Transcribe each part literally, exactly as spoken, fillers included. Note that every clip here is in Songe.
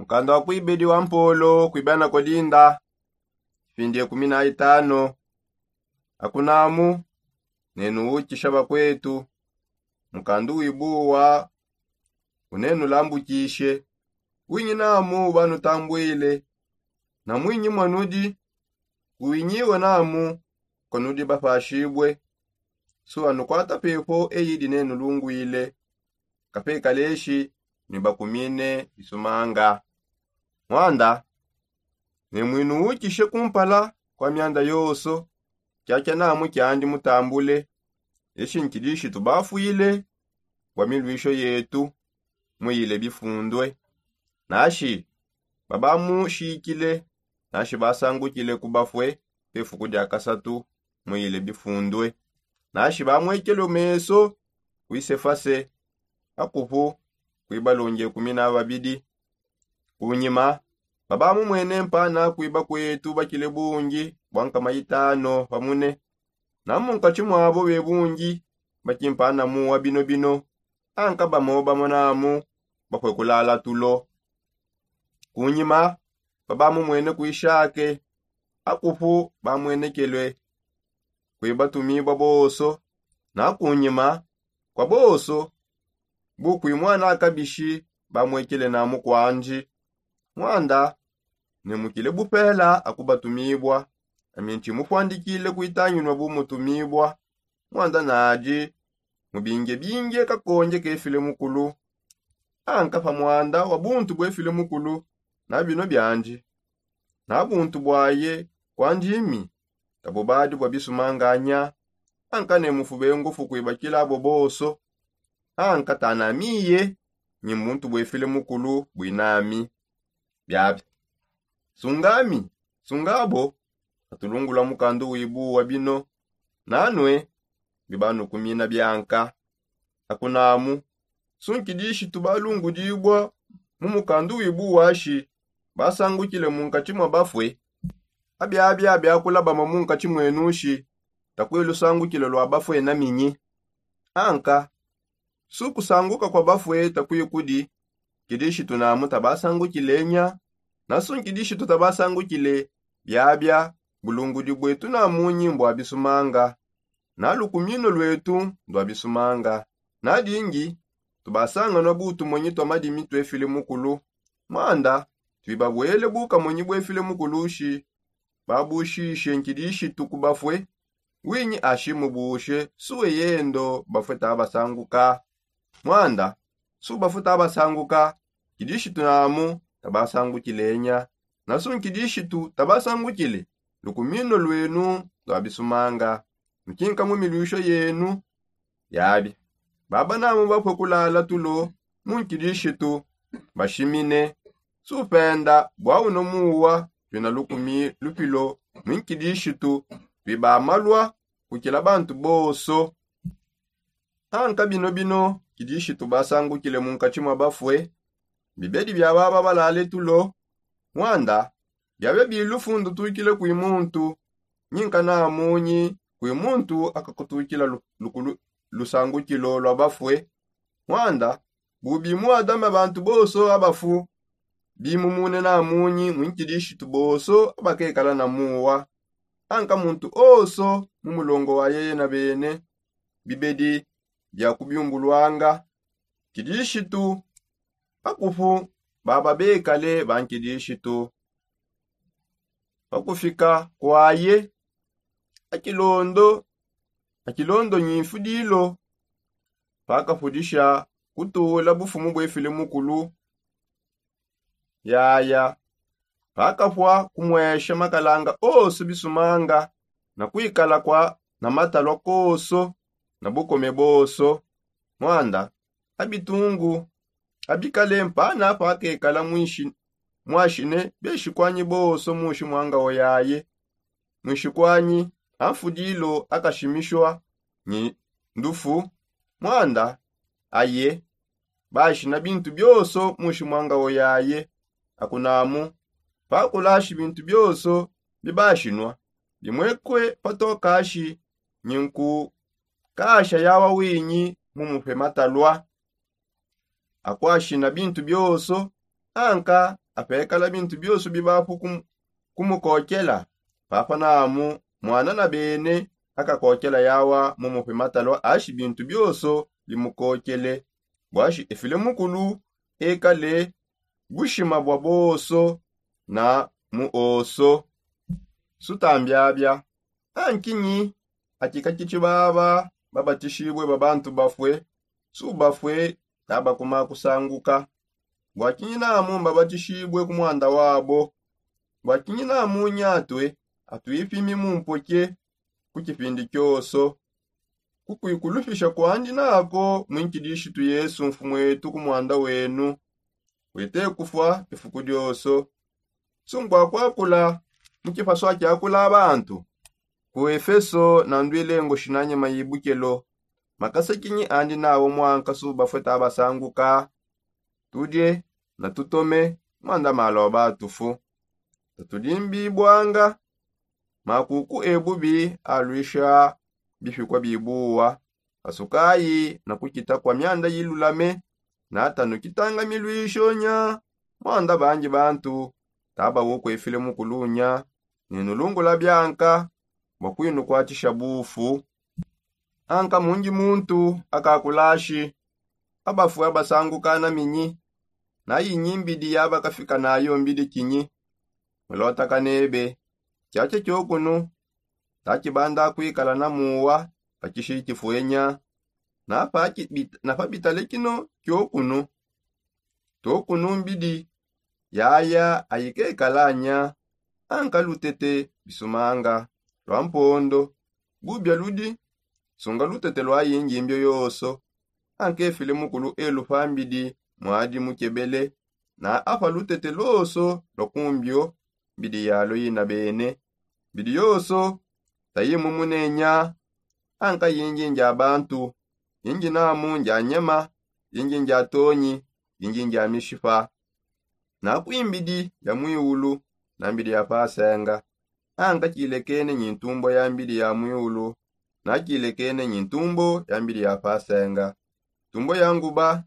Mukanda wa kuibedi wa mpolo kuibana kolinda, kipindi ekumi na itano. Akunamu nenu ukisha bakwetu, mukandu wibuwa unenu lambukishe. Winyi namu banutambwile na mwinyi mwanudi, kuwinyiwe namu konudi bapashibwe. Suwa nukwata pepo eyidi nenu lungwile, kapekaleshi ni bakumine bisumanga. Mwanda ne mwinu ukishe kumpala kwa myanda yoso, kyakya namu kyandi mutambule. Eshi nkilishi tubafwile bwa milwisho yetu muyile bifundwe. Nashi babamushikile, nashi basangukile kubafwe pefuku dia kasatu muyile bifundwe. Nashi bamwekele meso kwisefase akupu kwibalonge kumi na babidi. Kunyima babamumwene mpana kwiba kwetu bakile bungi bwa nkama itano pamune. Na munkatshi mwabo bebungi bakimpana muwa bino bino, anka bamo bamo namu bakwe kulala tulo. Kunyima babamumwene kwishake akupu bamwenekelwe kwibatumibwa boso. Na kunyima kwa boso bukwimwana akabishi bamwekele namu kwandi. Mwanda ne mukile bupela akubatumibwa, ami ntshimupwandikile kwitanginwa bumutumibwa. Mwanda nadi mubinge binge kakonge kefile mukulu. Anka pa mwanda wa buntu bwefile mukulu na bino byandi na buntu bwaye kwandi imi, kabubadi bwa bisumanganya. Anka ne mufube ngufu kwibakila abo boso. Anka tanamiye nyi muntu bwefile mukulu bwinami. Byabya sungami sungabo atulungula mukandu wibu wa bino. Nanwe bibanukumina byanka akunamu sunkidishitu balungudibwa mu mukandu wibu washi basangukile munkatshi mwa bafwe. Abyabya byakulabama munkatshi mwenushi takwilusangukile lwa bafwe na minyi? Anka sukusanguka kwa bafwe takwikudi kidishitu namu tabasangukile nya? Na sunkidishitu tabasangukile byabya bulungudi bwetu namunyi mbwa bisumanga na lukumino lwetu ndwa bisumanga. Na dingi tubasanganwa butumonyi twa madimi twefile mukulu. Mwanda twibabwele bukamonyi bwefile mukulushi babushishe nkidishitu ku bafwe. Winyi ashimubushe suwe yendo bafwe tabasanguka? Mwanda su bafwe tabasanguka kidishitu namu tabasangukile nya? Na su nkidishitu tabasangukile lukumino lwenu ndwa bisumanga mukinka mu milwisho yenu. Yabi baba namu bapwe kulala tulo mu nkidishitu bashimine. Supenda bwa uno muwa twina lukumi lupilo mu nkidishitu twibamalwa kukila bantu boso. Anka bino bino kidishitu basangukile munkatshi mwa bafwe bibedi bya baba balale tulo. Mwanda byabe bilufu ndutukile kwi muntu nyinka namunyi kwi muntu akakutukila lukulu lusangukilo lwa bafwe. Mwanda bubi mu adama bantu boso abafu bimumune namunyi mu nkidishitu boso abakekala na muwa. Anka muntu oso mu mulongo wa yeye na bene bibedi bya kubyumbulwanga kidishitu akupu baba bekale ba nkidishitu. Pakufika kwaye akilondo akilondo nyimfudilo pakafudisha kutula bufumu bwefile mukulu. Yaya pakapwa kumwesha makalanga oso bisumanga na kwikala kwa na matalwa koso na bukome boso. Mwanda abitungu abikale mpana pakekala mwashine beshikwanyi boso mushi mwanga oyaye. Mwishikwanyi amfudilo akashimishwa nyi ndufu. Mwanda aye bashina bintu byoso mushi mwanga oyaye. Akunamu pakulashi bintu byoso bibashinwa bimwekwe patokashi nyinku kasha yawa winyi mumupe matalwa akwashina bintu byoso. Anka apekala bintu bioso bibapu kumukokela. Papa namu mwana na bene akakokela yawa mumupima talwa ashi bintu bioso bimukokele. Bwashi efile mukulu ekale bushima bwa boso na muoso. Sutambiabia ankinyi akikakitshi baba babatishibue ba bantu bafue? Subafue tabakuma kusanguka. Bwakinyi namu mbabatishibue ku mwanda wabo? Bwakinyi namu nyatue atuipimi mumpoke ku kipindi kioso? Kukuikulupisha kwandi nako mwinkidishitu yesu mfumwetu ku mwanda wenu. Wete kufua ifuku dioso. Sunkua kwakula mu kipasu akiakula bantu. Ku efeso nanduile ngoshi na nyema yibukelo. Makasa kinyi andi nawo mwanka subafue tabasanguka? Tudie na tutome mwanda malua batufu. Tatudimbibwanga makuku ebubi aluisha bipikua bibuwa. Kasukayi na kukita kua mianda yilulame. Natanu kitanga miluishonya mwanda bangi bantu tabawo kuefile mukulunya. Nenulungula bianka bua kuinukuatshisha bufu. Anka mungi muntu akakulashi abafue abasanguka na minyi? Na inyi mbidi yabakafika nayo mbidi kinyi? Mulota kanebe kiakia kiokunu. Takibanda kuikala na muwa pa kishi kifuenya. Na pa bitale kino kiokunu. Tuokunu mbidi yaya ayikekala nya. Anka lutete bisumanga lua mpondo. Bubia ludi sunga lutete lua yingi mbio yoso. Anka efile mukulu elu pa mbidi muadi mukebele. Na apa lutete loso lua kumbio mbidi yalo yina bene. Mbidi yoso tayimumunenya. Anka yingi ndia bantu, yingi namu ndia nyama, yingi ndia tonyi, yingi ndia mishipa. Na kuimbidi ya muiulu na mbidi ya pasenga. Anka kilekene nyi ntumbo ya mbidi ya muiulu. Na kilekene nyi ntumbo ya mbidi ya pasenga. Ntumbo ya nguba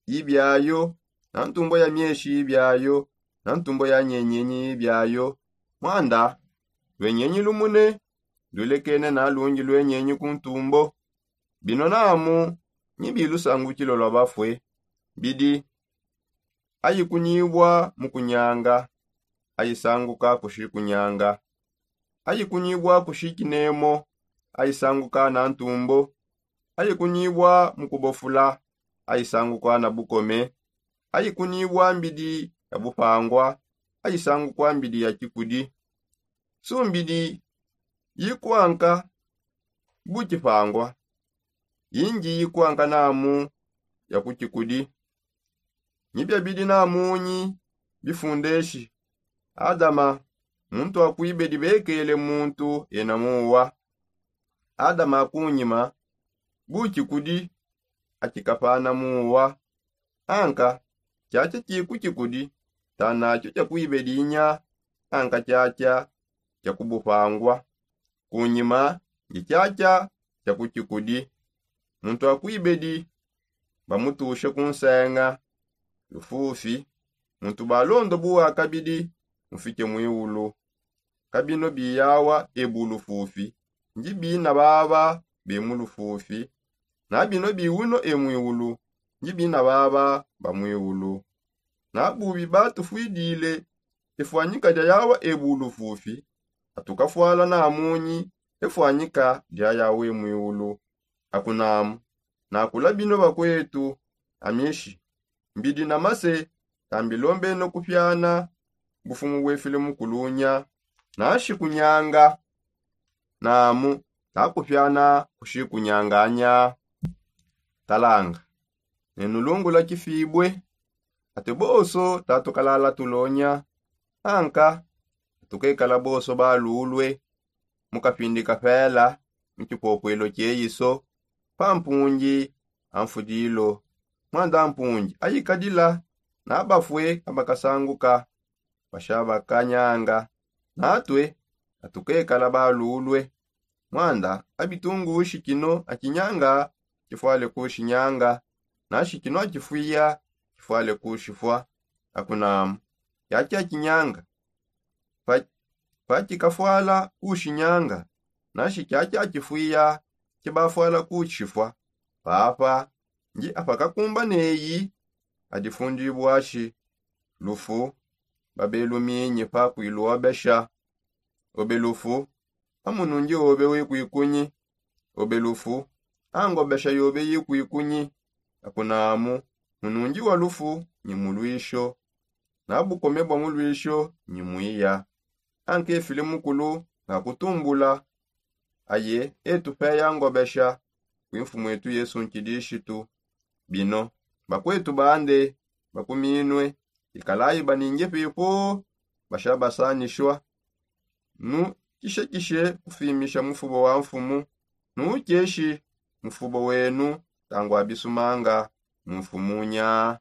yibiayo, na ntumbo ya mieshi yibiayo, na ntumbo ya nyenyenyi yibiayo. Mwanda luenyenyi lumune ndulekene na lungi luenyenyi ku ntumbo. Bino namu nyi bilusangukilo lua bafue? Bidi ayikunyibua mu kunyanga ayisanguka kushi kunyanga. Ayikunyibua kushi kinemo ayisanguka na ntumbo. Ayikunyibua mu kubofula ayisanguka na bukome. Ayikunyibua mbidi ya bupangua ayisanguka mbidi ya kikudi. Sumbidi yikuanka bu kipangua. Yingi yikuanka namu ya ku kikudi. Nyi biabidi namunyi bifundeshi? Adama muntu wa kuibedi bekele muntu ena muwa. Adama akunyima bu kikudi akikapana muwa. Anka kiakia kiku kikudi tanatio kia kuibedi inya. Anka kiakia kia kubupangua. Kunyima ndi kiakia kia ku kikudi. Muntu akuibedi bamutushe ku nsenga lufufi. Muntu balondo buwa kabidi mufike muiulu. Kabino biyawa ebu lufufi ndi bina baba be mu lufufi. Na bino biwuno e muiulu ndi bina baba ba muiulu. Na bubi batufuidile efuanyika dia yawa ebu lufufi. Atukafwala namunyi efuanyika dia yawa e muiulu. Akunamu nakula bino bakuetu amishi mbidi na mase. Tambilombeno kupiana bufumu buefile mukulunya. Nashi kunyanga namu takupiana kushi kunyanganya. Talanga nenulungula kifibue. Ate boso tatukalala tulonya. Anka tukekala boso balulue mu kapindi kapela mu kipopuelo kieyiso pa mpungi a mfudilo. Mwanda mpungi ayikadila na bafue abakasanguka basha bakanyanga. Natue atukekala balulue. Mwanda abitungushi kino akinyanga kifuale kushinyanga. Nashi kino akifuiya kifuale kushifua. Akunamu kiakiakinyanga, pakikafwala kushinyanga, nashi kiakiakifwiya kibafwala kushifwa. Papa ndi apakakumba neyi adifundibwashi lufu, babeluminyi pa kuilwobesha. Obe lufu, amunundi obe wikwikunyi? Obe lufu, angobesha yobe yikwikunyi? Akunamu munundi wa lufu nyi mulwisho, na bukome bwa mulwisho nyi mwiya. Ankefile mukulu nga kutumbula, aye etupeya ngobesha kwi mfumu etu yesu nkidishitu. Bino bakwetu bande bakuminwe, ikalayi baninge pepo bashabasanishwa. Nukishekishe kufimisha mufubo wa mfumu, nukeshi mufubo wenu tangwa bisumanga mu mfumunya.